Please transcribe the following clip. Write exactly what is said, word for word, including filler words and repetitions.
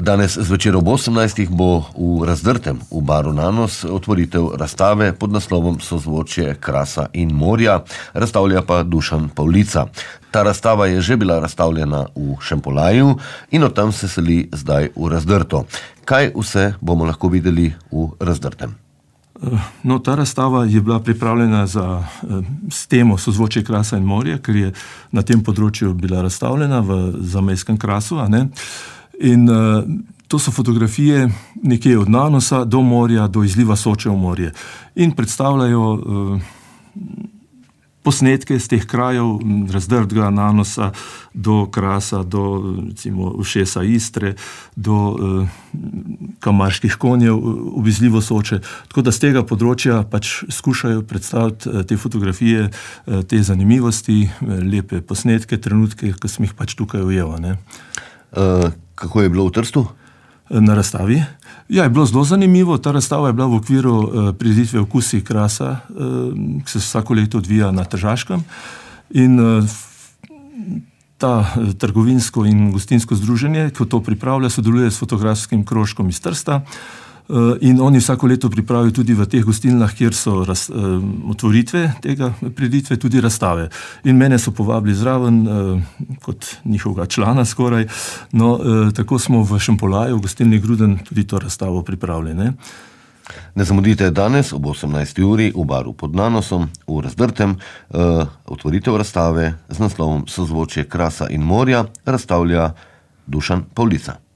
Danes zvečer ob osemnajstih bo v Razdrtem v baru Nanos otvoritev razstave pod naslovom Sozvočje krasa in morja, razstavlja pa Dušan Pavlica. Ta razstava je že bila razstavljena v Šempolaju in od tam se seli zdaj v Razdrto. Kaj vse bomo lahko videli v Razdrtem? No, ta razstava je bila pripravljena za, s temo Sozvočje krasa in morja, ker je na tem področju bila razstavljena v zamejskem krasu, a ne? In uh, to so fotografije nekje od Nanosa do morja, do izliva Soče v morje. In predstavljajo uh, posnetke z teh krajev, Razdrtega, Nanosa, do Krasa, do recimo ušesa Istre, do uh, Kamarških konjev v izlivu Soče. Tako da z tega področja pač skušajo predstaviti uh, te fotografije, uh, te zanimivosti, uh, lepe posnetke, trenutke, ki sem jih pač tukaj ujel, ne. Uh, kako je bilo v Trstu? Na razstavi? Ja, je bilo zelo zanimivo. Ta razstava je bila v okviru uh, prireditve Okusi krasa, uh, ki se vsako leto odvija na Tržaškem. In uh, ta uh, trgovinsko in gostinsko združenje, ki to pripravlja, sodeluje s fotografskim krožkom iz Trsta. Uh, in oni vsako leto pripravijo tudi v teh gostilnah, kjer so raz, uh, otvoritve tega prireditve, tudi razstave. In mene so povabili zraven uh, kot njihovega člana skoraj. No, uh, tako smo v Šempolaju, v gostilni Gruden, tudi to razstavo pripravili, ne. Ne zamudite danes ob osemnajsti uri v baru pod Nanosom v Razdrtem uh, otvoritev razstave z naslovom Sozvočje krasa in morja, razstavlja Dušan Pavlica.